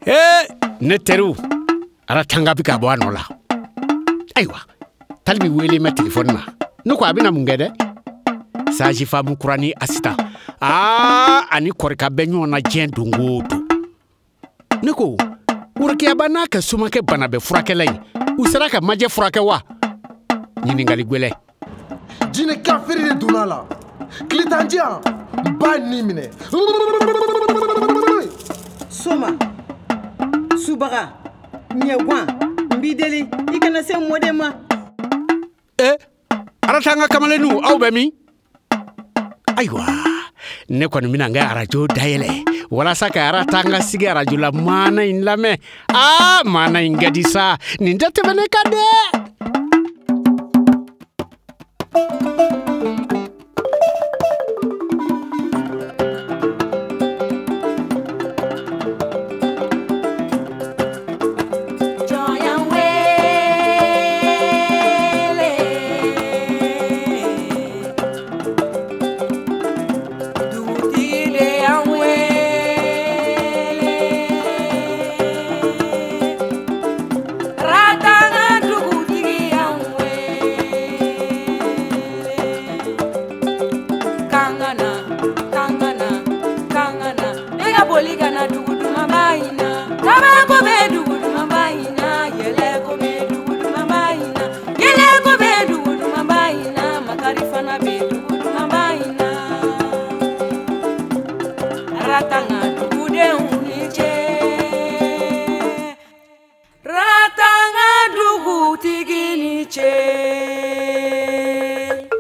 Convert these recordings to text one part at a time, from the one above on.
Ee, ne teriw, Aratanga bɛ ka bɔ a nɔ la. Ayiwa, Talibi wele ma telefɔni na. Ne ko a bɛna mun kɛ dɛ? Sajifamu kura ni Asitan. Aa, ani kɔrika bɛ ɲɔgɔn na diɲɛ don o don. Ne ko, Worokiyaba n'a ka somakɛ bana bɛ furakɛla in, u sera ka majɛ furakɛ wa? Ɲininkali gwɛlɛ. Jinɛ kafiri de donna a la. Tile tan di yan, n b'a ni minɛ. Soma, subaga, ɲɛguwan, n b'i deli i kana se mɔden ma. E, Aratanga kamalenninw, aw bɛ min? Ayiwa, ne kɔni bɛna n ka arajo dayɛlɛ walasa ka Aratanga sigi arajo la maana in lamɛn. Aa, maana in ka di sa, nin tɛ tɛmɛ ne kan dɛ.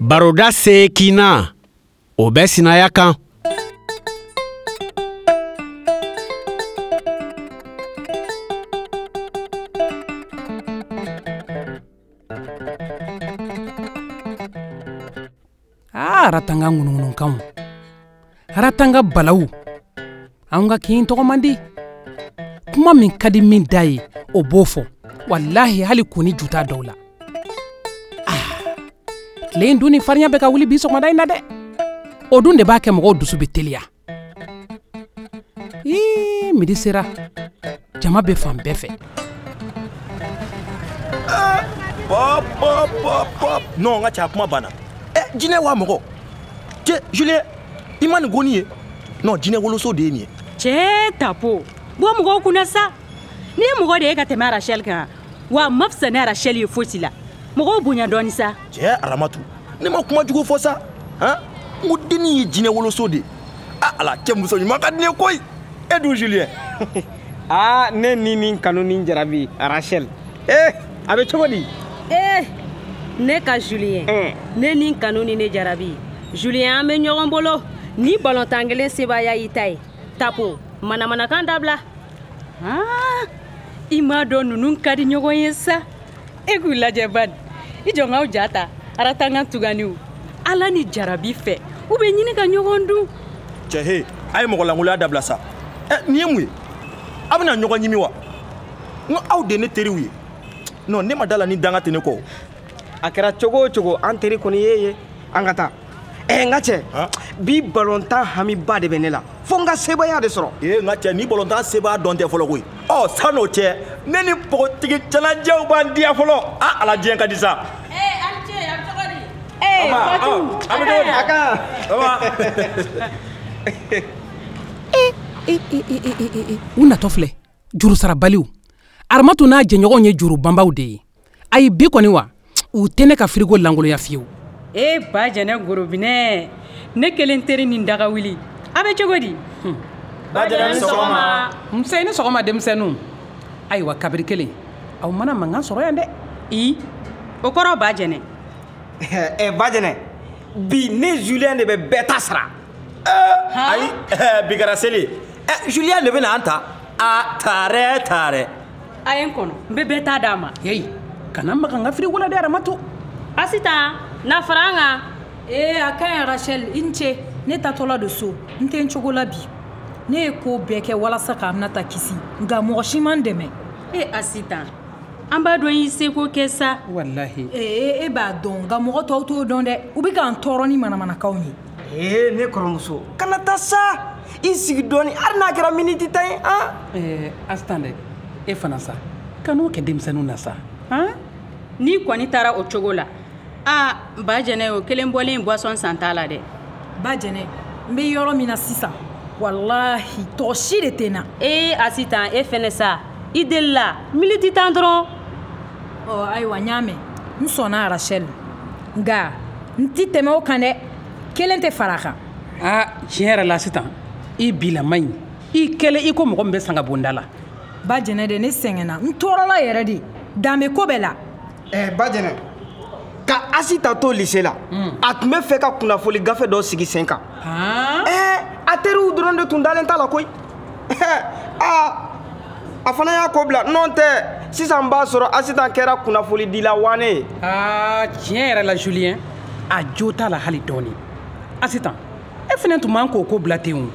Baroda seekinna o bɛ sinaya kan. Aa, Aratanga ŋunuŋunukanw, Aratanga balawu, anw ka kin tɔgɔ man di. Kuma min ka di min da ye, o b'o fɔ. Walahi, hali kun ni ju t'a dɔw la. Tile in dun ni farinya bɛ ka wuli bi sɔgɔmada in na dɛ. O dun de b'a kɛ mɔgɔw dusu bɛ teliya. Ii, midi sera, jama bɛ fan bɛɛ fɛ. Pop, pop, pop, pop. Non, n ka cɛ, a kuma banna. Ɛ, jinɛ wa mɔgɔ? Cɛ, Julien, i ma nin goni ye? Non, jinɛ woloso de ye nin ye. Cɛ, Tapo, bɔ mɔgɔw kunna sa. N'i ye mɔgɔ de ye ka tɛmɛ Rachel kan, wa a ma fisa ni Rachel ye fosi la. Mɔgɔw bonya dɔɔni sa. Cɛ, Aramatu, ne ma kuma jugu fɔ sa. Han? N ko dennin ye jinɛ woloso de ye. Ah, ala, cɛ muso ɲuman ka di ne ye koyi. E dun, Julien? Aa, ne ni nin kanu ni jarabi, Rachel. Eh, a bɛ cogo di? Eh, ne ka Julien. Ne ni kanu ni ne jarabi. Julien, an bɛ ɲɔgɔn bolo. Ni balontan kelen sebaaya y'i ta ye. Tapo, manamanakan dabila. Ah, i m'a dɔn ninnu ka di ɲɔgɔn ye sa. E k'u lajɛ bani. I jɔ n k'aw ja ta. Aratanga tuganiw. Ala ni jarabi fɛ, u bɛ ɲini ka ɲɔgɔn dun. Cɛ, he, a ye mɔgɔ lankolonya dabila sa. Ɛ, nin ye mun ye? A bɛna ɲɔgɔn ɲimi wa? N ko aw de ye ne teriw ye. Non, ne ma da la ni danga tɛ ne kɔ. A kɛra cogo o cogo, an teri kɔni ye ye. An ka taa. Ɛ, n ka cɛ, bi balontan hamiba de bɛ ne la. Fo n ka sebaaya de sɔrɔ. Ee, n ka cɛ, ni balontan sebaaya dɔn tɛ fɔlɔ koyi. Ɔ, san'o cɛ, ne ni npogotigi cɛlajɛw b'an diya fɔlɔ. A, ala diɲɛ ka di sa. Ee, aw ni ce, a bɛ cogo di? Ee, Fatou, a bɛ cogo di? A kan. E, e, e, e, e, e, u natɔ filɛ, jurusarabaliw. Aramatu n'a jɛɲɔgɔnw ye juru banbaw de ye. Ayi, bi kɔni wa, u tɛ ne ka firigo lankolonya fiyewu. E ba jɛnɛ gorobinɛ, ne kelen teri ni daga wuli. A bɛ cogo di? Ba jɛnɛ, ni sɔgɔma. Nse, ni sɔgɔma denmisɛnninw. Ayiwa, kabiri kelen, aw mana mankan sɔrɔ yan dɛ. I, o kɔrɔ ba jɛnɛ. Ɛ, ba jɛnɛ, bi ne Julien de bɛ bɛɛ ta sara. Ayi, bi kɛra seli ye. Ɛ, Julien de bɛna an ta. A, taarɛ, taarɛ. A ye n kɔnɔ, n bɛ bɛɛ ta d'a ma. Yeyi, kana maga n ka firigo la dɛ, Aramatu. Asitan, na fara an kan. Ee, a ka ɲi Rachel, i ni ce. Ne taatɔla don so, n tɛ n cogo la bi. Ne ye ko bɛɛ kɛ walasa ka Aminata kisi, nka mɔgɔ si ma n dɛmɛ. E Asitan, an b'a dɔn i seko kɛ sa. Walahi. Ee, e b'a dɔn, nka mɔgɔ tɔw t'o dɔn dɛ. U bɛ k'an tɔɔrɔ ni manamanakanw ye. Ee, ne kɔrɔmuso, kana taa sa. I sigi dɔɔni, hali n'a kɛra miniti 10 ye, han. Asitan dɛ, e fana sa, kan'o kɛ denmisɛnninw na sa, han. N'i kɔni taara o cogo la, aa ba jɛnɛ, o kelen bɔlen boisson san t'a la dɛ. Ba jɛnɛ, n bɛ yɔrɔ min na sisan, walahi tɔgɔ si de tɛ n na. Ee Asitan, e fɛnɛ sa, i delila miniti 10 dɔrɔn. Ɔ ayiwa, n y'a mɛn, n sɔnna Rachel, nka n ti tɛmɛ o kan dɛ, kelen tɛ fara a kan. Aa tiɲɛ yɛrɛ la Asitan, i bilama ɲi, i kɛlen i ko mɔgɔ min bɛ sanga bonda la. Ba jɛnɛ de, ne sɛgɛnna, n tɔɔrɔla yɛrɛ de, dan bɛ ko bɛɛ la. Ba jɛnɛ, ka Asita to lycée la, a tun bɛ fɛ ka kunnafoni gafe dɔ sigi sen kan. A teriw dɔrɔn de tun dalen t'a la koyi. Aa a fana y'a ko bila, n'o tɛ sisan b'a sɔrɔ Asitan kɛra kunnafonidila wane ye. Aa tiɲɛ yɛrɛ la Julien, a jo t'a la hali dɔɔni. Asitan, e fana tun man k'o ko bila ten o.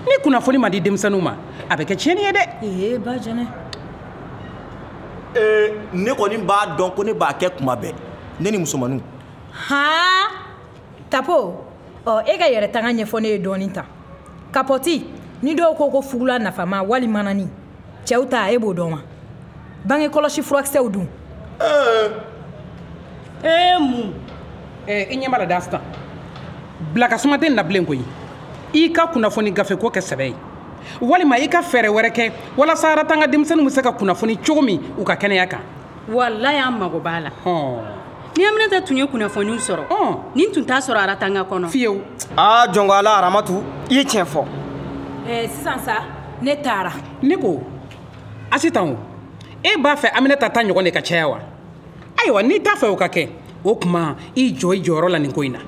Ni kunnafoni ma di denmisɛnninw ma, a bɛ kɛ tiɲɛni ye dɛ. Ee ba jɛnɛ. Ne kɔni b'a dɔn ko ne b'a kɛ kuma bɛɛ, ne ni musomaninw. Han Tapo, ɔ e ka yɛrɛ tanga ɲɛfɔ ne ye dɔɔni tan. Kapɔti, ni dɔw ko ko fugula nafama wali manani, cɛw ta e b'o dɔn wa? Bange kɔlɔsi furakisɛw dun. Mun. I ɲɛ b'a la dɛ Asitan, bila ka suma tɛ nin na bilen koyi. I ka kunnafoni gafe ko kɛ sɛbɛ ye, walima i ka fɛɛrɛ wɛrɛ kɛ walasa Aratanga denmisɛnninw bɛ se ka kunnafoni cogo min u ka kɛnɛya kan. Walayi an mago b'a la. Ni Aminata tun ye kunnafoniw sɔrɔ, nin tun t'a sɔrɔ Aratanga kɔnɔ. Fiyewu. Aa jɔnko Ala, Aramatu, i ye tiɲɛ fɔ. Sisan sa, ne taara. Ne ko Asitan o, e b'a fɛ Aminata ta ɲɔgɔn de ka caya wa? Ayiwa, n'i t'a fɛ o ka kɛ, o tuma i jɔ i jɔyɔrɔ la nin ko in na.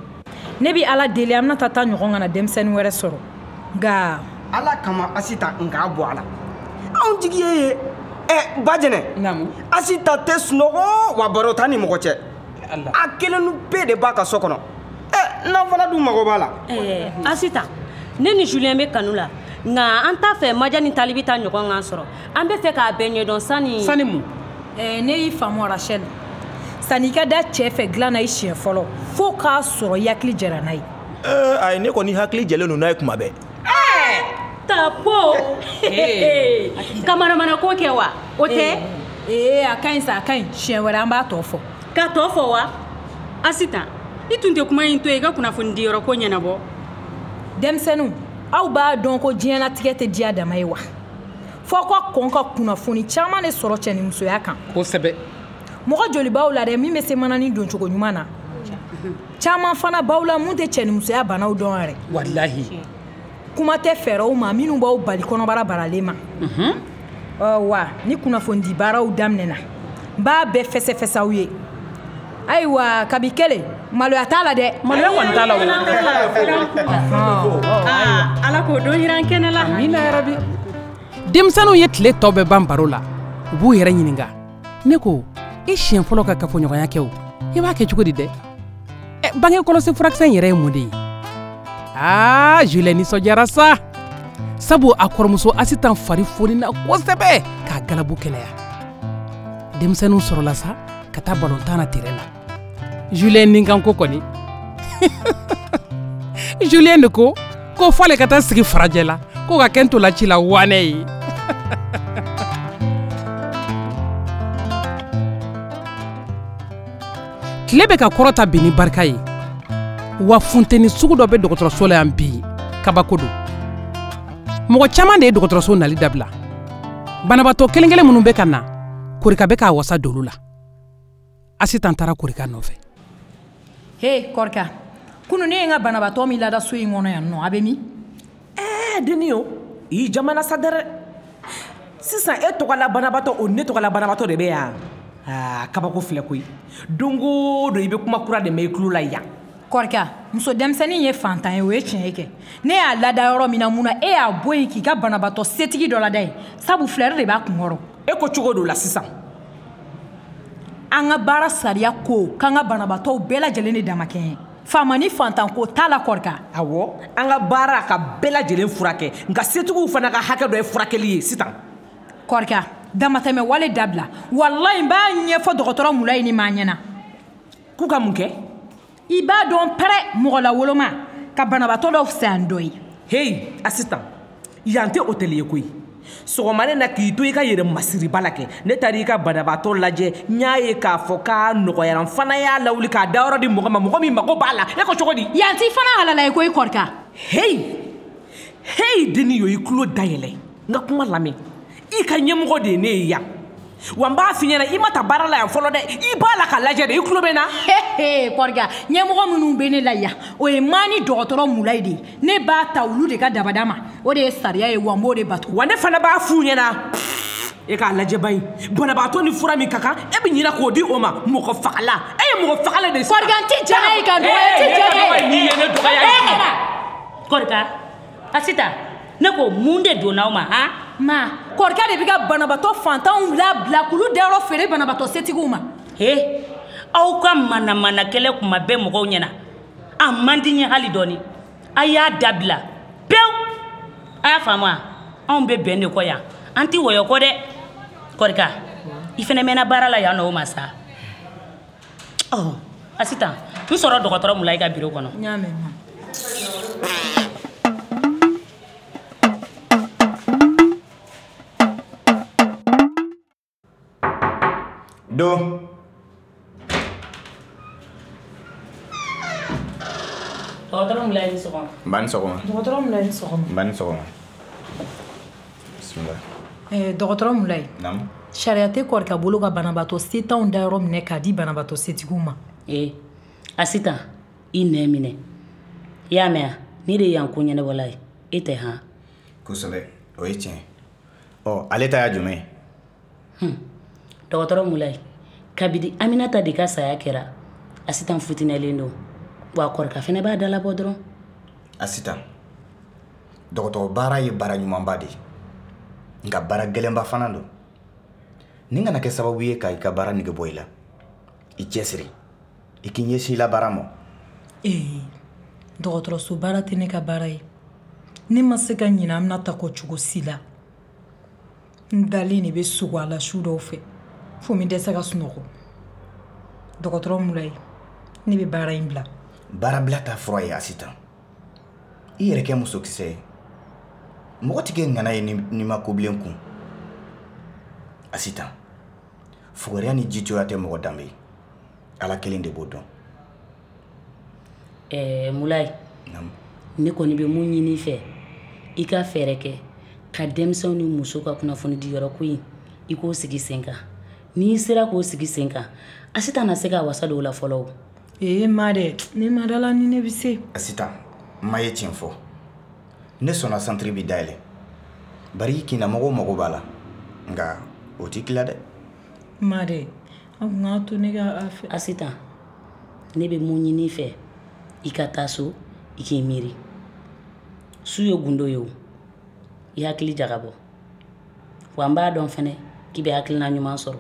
Ne bɛ Ala deli Aminata ta ɲɔgɔn kana denmisɛnnin wɛrɛ sɔrɔ, nka. Ala kama Asitan, n k'a bɔ a la. Anw jigi ye. Ba jɛnɛ. Naamu. Asita tɛ sunɔgɔ wa baro t'a ni mɔgɔ cɛ. A kelen bɛɛ de b'a ka so kɔnɔ. N'an fana dun mago b'a la. Asitan, ne ni Julien bɛ kanu la, nka an t'a fɛ Maja ni Talibi ta ɲɔgɔn kan sɔrɔ. An bɛ fɛ k'a bɛɛ ɲɛdɔn sani. Sani mun? Ne y'i faamu Rachel. Sanni i ka da cɛ fɛ dilan na i siɲɛ fɔlɔ, fo k'a sɔrɔ i hakili jɛra n'a ye. Ayi, ne kɔni hakili jɛlen don n'a ye kuma bɛɛ. Tapo, ka manamana ko kɛ wa? O tɛ? A ka ɲi sa, a ka ɲi. Siɲɛ wɛrɛ an b'a tɔ fɔ. Ka tɔ fɔ wa? Asitan, i tun tɛ kuma in to yen i ka kunnafoni diyɔrɔ ko ɲɛnabɔ. Denmisɛnninw, aw b'a dɔn ko diɲɛlatigɛ tɛ diya dama ye wa? F'aw ka kɔn ka kunnafoni caman de sɔrɔ cɛnimusoya kan. Kosɛbɛ. Mɔgɔ joli b'aw la dɛ min bɛ se manani don cogo ɲuman na? Caman fana b'aw la mun tɛ cɛnimusoya banaw dɔn yɛrɛ. Walahi. Kuma tɛ fɛɛrɛw ma minnu b'aw bali kɔnɔbara baralen ma. Wa ni kunnafonidi baaraw daminɛna, n b'a bɛɛ fɛsɛfɛsɛ aw ye. Ayiwa, kabi kelen, maloya t'a la dɛ. Maloya kɔni t'a la o. Ala k'o don yiran kɛnɛ la. Amina yarabi. Denmisɛnninw ye tile tɔ bɛɛ ban baro la, u b'u yɛrɛ ɲininka. Ne ko, i siɲɛ fɔlɔ ka kafoɲɔgɔnya kɛ o, i b'a kɛ cogo di dɛ? Bange kɔlɔsi furakisɛ in yɛrɛ ye mun de ye? Aa Julien nisɔndiyara sa, sabu a kɔrɔmuso Asitan fari fonina kosɛbɛ k'a galabu kɛnɛya. Denmisɛnninw sɔrɔla sa ka taa balontan na terrain na. Julien ni kan ko kɔni. Julien de ko ko f'ale ka taa sigi farajɛ la, ko ka kɛ ntolanci la wanɛ ye. Tile bɛ ka kɔrɔta bi ni barika ye. Wa funteni sugu dɔ bɛ dɔgɔtɔrɔso la yan bi, kabako don. Mɔgɔ caman de ye dɔgɔtɔrɔso nali dabila. Banabaatɔ kelen kelen minnu bɛ ka na, Korika bɛ k'a wasa don olu la. Asitan taara Korika nɔfɛ. He Korika, kunun ne ye n ka banabaatɔ min lada so in kɔnɔ yan nɔ, a bɛ min? Denni o, i jamana sa dɛrɛ. Sisan e tɔgɔla banabaatɔ o ne tɔgɔla banabaatɔ de bɛ yan. Aa kabako filɛ koyi. Don o don i bɛ kuma kura de mɛn i tulo la yan. Korika, muso denmisɛnnin ye fantan ye, o ye tiɲɛ ye kɛ. Ne y'a lada yɔrɔ min na, mun na e y'a bɔ yen k'i ka banabaatɔ setigi dɔ lada yen? Sabu filɛri de b'a kunkɔrɔ. E ko cogo do la sisan? An ka baara sariya ko k'an ka banabaatɔw bɛɛ lajɛlen de damakɛɲɛ. Faama ni fantan ko t'a la Korika. Awɔ, an ka baara ka bɛɛ lajɛlen furakɛ, nka setigiw fana ka hakɛ dɔ ye furakɛli ye sisan. Korika, damatɛmɛ wale dabila. Walayi n b'a ɲɛfɔ dɔgɔtɔrɔ Mulayi ni maa ɲɛna. K'u ka mun kɛ? I b'a dɔn pɛrɛ mɔgɔ la woloma ka banabaatɔ dɔw fisaya ni dɔ ye. Heyi Asitan, yan tɛ hôtel ye koyi. Sɔgɔma ne na k'i to i ka yɛrɛ masiriba la kɛ, ne taara i ka banabaatɔ lajɛ, n y'a ye k'a fɔ k'a nɔgɔyara, n fana y'a lawuli k'a dayɔrɔ di mɔgɔ ma, mɔgɔ min mago b'a la. E ko cogo di? Yan t'i fana halala ye koyi Kɔrika. Heyi heyi denni yo, i tulo dayɛlɛ n ka kuma lamɛn. I ka ɲɛmɔgɔ de ye ne ye yan. Wa n b'a f'i ɲɛna, i ma ta baara la yan fɔlɔ dɛ, i b'a la ka lajɛ de, i tulo bɛ n na. Kɔrika, ɲɛmɔgɔ minnu bɛ ne la yan, o ye maa ni dɔgɔtɔrɔ Mulayi de ye. Ne b'a ta olu de ka dabada ma, o de ye sariya ye, wa n b'o de bato. Wa ne fana b'a f'u ɲɛna, e k'a lajɛ ba in, banabaatɔ ni fura min ka kan, e bɛ ɲinɛ k'o di o ma. Mɔgɔ fagala, e ye mɔgɔ fagala de ye. Kɔrika, n ti jɛn n'a ye ka dɔgɔya, n ti jɛn n'a ye. N'i ye ne dɔgɔya. Kɔrika, Asitan, ne ko mun de donna aw ma han? Ma, Kɔrika de bɛ ka banabaatɔ fantanw labila k'olu dayɔrɔ feere banabaatɔ setigiw ma. He, aw ka manamana kɛlɛ kuma bɛɛ mɔgɔw ɲɛna, a man di n ye hali dɔɔni. A y'a dabila pewu. A y'a faamu wa? Anw bɛ bɛn de kɔ yan, an tɛ wɔyɔ kɔ dɛ. Kɔrika, i fana mɛnna baara la yan nɔ o ma sa. Ɔ Asitan, n sɔrɔ dɔgɔtɔrɔ Mulayi ka biro kɔnɔ. N y'a mɛn ma. Don. Dɔgɔtɔrɔ Mulayi ni sɔgɔma. N ba ni sɔgɔma. Dɔgɔtɔrɔ Mulayi ni sɔgɔma. N ba ni sɔgɔma. Bisimila. Dɔgɔtɔrɔ Mulayi. Naamu. Sariya tɛ Kɔrika bolo ka banabaatɔ setanw dayɔrɔ minɛ k'a di banabaatɔ setigiw ma. Asitan, i nɛn minɛ. I y'a mɛn wa? Ne de ye yan ko ɲɛnabɔla ye, e tɛ han? Kosɛbɛ, o ye tiɲɛ. Ɔ, ale ta y'a jumɛn ye? Dɔgɔtɔrɔ Mulayi, kabini Aminata de ka saya kɛra, Asitan futinɛlen don. Wa Kɔrika fana b'a dalabɔ dɔrɔn. Asitan, dɔgɔtɔrɔ baara ye baara ɲumanba de ye, nka baara gɛlɛnba fana don. Nin kana kɛ sababu ye ka i ka baara nege bɔ i la. I cɛsiri, i k'i ɲɛsin i la baara ma. Dɔgɔtɔrɔso baara tɛ ne ka baara ye. Ne ma se ka ɲinɛ Aminata kɔ cogo si la. N dalen de bɛ sogo a la su dɔw fɛ, fo n bɛ dɛsɛ ka sunɔgɔ. Dɔgɔtɔrɔ Mulayi, ne bɛ baara in bila. Baarabila ta fura ye Asitan. I yɛrɛ kɛ musokisɛ ye. Mɔgɔ tɛ kɛ ŋana ye n'i ma kobilen kun. Asitan, fugariya ni jitoya tɛ mɔgɔ danbe ye. Ala kelen de b'o dɔn. Mulayi, ne kɔni bɛ mun ɲini i fɛ, i ka fɛɛrɛ kɛ ka denmisɛnw ni muso ka kunnafoni di yɔrɔ ko in, i k'o sigi sen kan. N'i sera k'o sigi sen kan, Asitan na se ka wasa don o la fɔlɔ o. Ma dɛ, ne ma da la ni ne bɛ se. Asitan, ma ye tiɲɛ fɔ. Ne sɔnna santiri bi dayɛlɛ. Bari i kinnamɔgɔw mago b'a la. Nka o t'i tila dɛ. Ma dɛ, an kun k'a to ne ka a fɛ. Asitan, ne bɛ mun ɲini i fɛ, i ka taa so, i k'i miiri. Su ye gundo ye o. I hakili jagabɔ. Wa n b'a dɔn fɛnɛ k'i bɛ hakilina ɲuman sɔrɔ.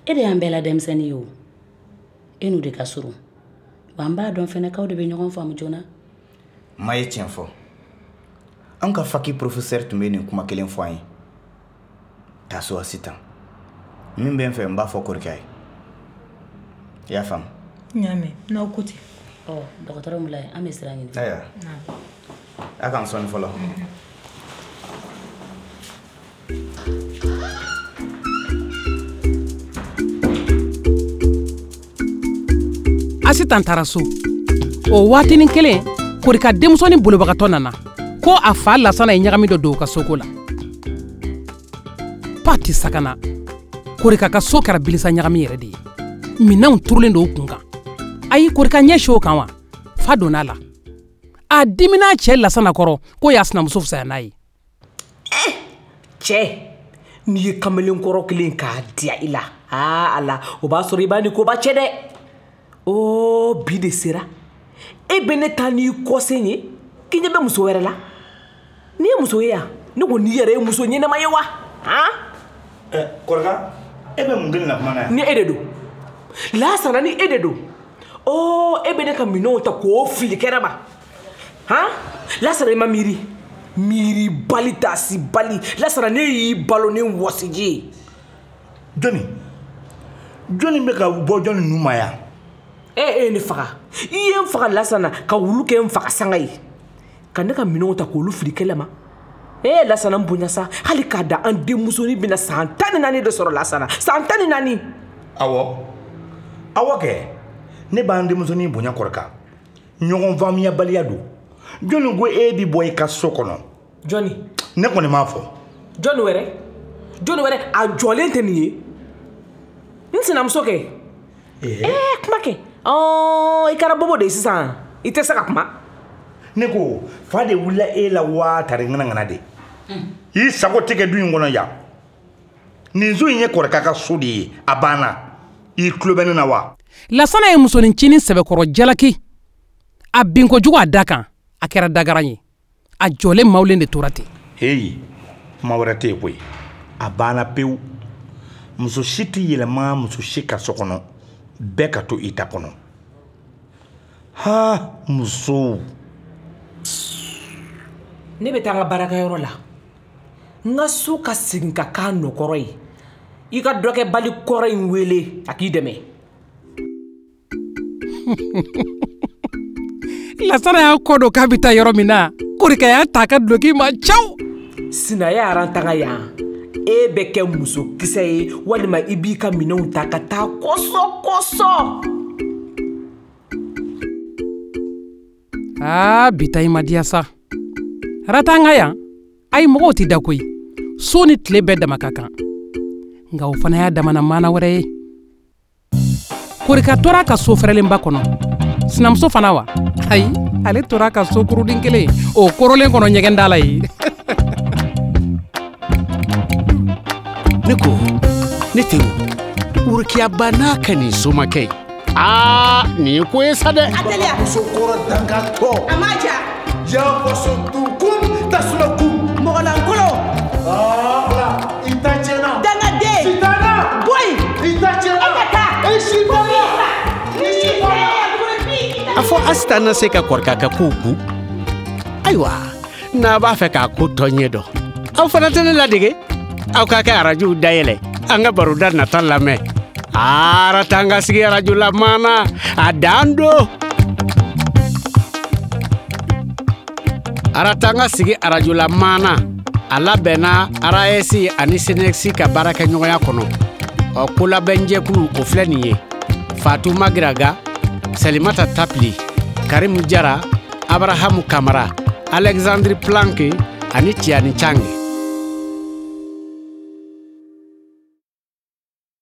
E de y'an bɛɛ la denmisɛnnin ye o. E n'u de ka surun. Wa n b'a dɔn fɛnɛ k'aw de bɛ ɲɔgɔn faamu joona. Ma ye tiɲɛ fɔ. An ka faki professeur tun bɛ nin kuma kelen fɔ an ye. Taa so Asitan. Min bɛ n fɛ, n b'a fɔ Kɔrika ye. I y'a faamu? N y'a mɛn, n'aw ko ten. Ɔ, dɔgɔtɔrɔ Mulayi, an bɛ sira ɲini. Ayiwa. A k'an sɔnni fɔlɔ. Asitan taara so. O waatinin kelen, Kɔrika denmusonin bolobagatɔ nana ko a fa Lasana ye ɲagami dɔ don u ka soko la. Pati sakana, Kɔrika ka so kɛra bilisa ɲagami yɛrɛ de ye. Minɛnw turulen don u kun kan. Ayi, Kɔrika ɲɛ si o kan wa? Fa donna a la. A dimina cɛ Lasana kɔrɔ k'o y'a sinamuso fisaya n'a ye. Cɛ, n'i ye kamalenkɔrɔ kelen k'a diya i la, aa Ala, o b'a sɔrɔ i b'a ni koba cɛ dɛ. O bi de sera. E bɛ ne ta n'i kɔsen ye k'i ɲɛ bɛ muso wɛrɛ la. N'i ye muso ye yan, ne ko n'i yɛrɛ ye muso ɲɛnama ye wa? Han? Kɔrika, e bɛ mun kelen na kuma na yan? Ni e de don. Lasana, ni e de don. E bɛ ne ka minɛnw ta k'o fili kɛnɛ ma. Han? Lasana, i ma miiri. Miiri bali taasi bali. Lasana, ne y'i balo ni wɔsiji ye. Jɔnni? Jɔnni bɛ ka bɔ jɔnni nu ma yan? E ye ne faga. I ye n faga Lasana ka wulu kɛ n faga sanga ye. Ka ne ka minɛnw ta k'olu fili kɛlɛ ma. Ee Lasana n bonya sa, hali k'a da an denmusonin bɛna san 14 de sɔrɔ Lasana, san 14. Awɔ, awɔ kɛ, ne b'an denmusonin bonya Kɔrika. Ɲɔgɔn faamuyabaliya don. Jɔnni ko e bi bɔ i ka so kɔnɔ? Jɔnni? Ne kɔni m'a fɔ. Jɔnni wɛrɛ? Jɔnni wɛrɛ a jɔlen tɛ nin ye? N sinamuso kɛ. Ee kuma kɛ. Ɔɔ i kɛra bobo de ye sisan. I tɛ se ka kuma. Ne ko fa de wulila e la waa tari ŋanaŋana de. I sago tɛ kɛ du in kɔnɔ yan. Nin so in ye Kɔrika ka so de ye, a banna. I tulo bɛ ne na wa? Lasana ye musonincinin sɛbɛkɔrɔ jalaki. A bin kojugu a da kan, a kɛra dagaran ye. A jɔlen mawulen de tora ten. Heyi, kuma wɛrɛ tɛ yen koyi. A banna pewu. Muso si tɛ yɛlɛma muso si ka so kɔnɔ. Bɛɛ ka to i ta kɔnɔ. Ha, musow. Ne bɛ taa n ka baarakɛyɔrɔ la. N ka so ka segin ka k'a nɔkɔrɔ ye. I ka dɔkɛbali kɔrɔ in wele a k'i dɛmɛ. Lasana y'a kɔ don k'a bɛ taa yɔrɔ min na, Korika y'a ta a ka duloki ma caw. Sinaya Aratanga yan, e bɛ kɛ musokisɛ ye walima i b'i ka minɛnw ta ka taa kɔsɔ kɔsɔ. Aa bi ta i ma diya sa. Aratanga yan, ayi mɔgɔw tɛ da koyi. So ni tile bɛɛ dama ka kan. Nka o fana y'a damana maana wɛrɛ ye. Korika tora a ka so fɛrɛlenba kɔnɔ. Sinamuso fana wa? Ayi, ale tora a ka so kuruden kelen o korolen kɔnɔ ɲɛgɛn da la yen. Ne ko, ne teriw, Worokiyaba n'a ka nin somakɛ ye. Aa, nin ye ko ye sa dɛ. A teliya. Musokɔrɔ dangatɔ. A ma ja. Janfaso dukun tasuma kun. Mɔgɔlankolon. Aa, i ta tiɲɛna. Dangaden. Sitana. Bɔ yen. I ta tiɲɛna. E ka taa. E sitana. I sitana. A fɔ Asita na se ka Kɔrika ka kow ku. Ayiwa, n'a b'a fɛ k'a ko tɔ ɲɛ dɔn, aw fana tɛ ne ladege. Aw k'a kɛ arajow dayɛlɛ, an ka baroda nata lamɛn. Aratanga sigi arajo la maana, a dan don. Aratanga sigi arajo la maana, a labɛnna RAS ani SYNEXI ka baarakɛɲɔgɔnya kɔnɔ. Ɔ kolabɛnjɛkulu o filɛ nin ye: Fatou Magiraga, Salimata Tapili, Karimu Jara, Abrahamu Kamara, Alexandre Planck ani Tiani Chang.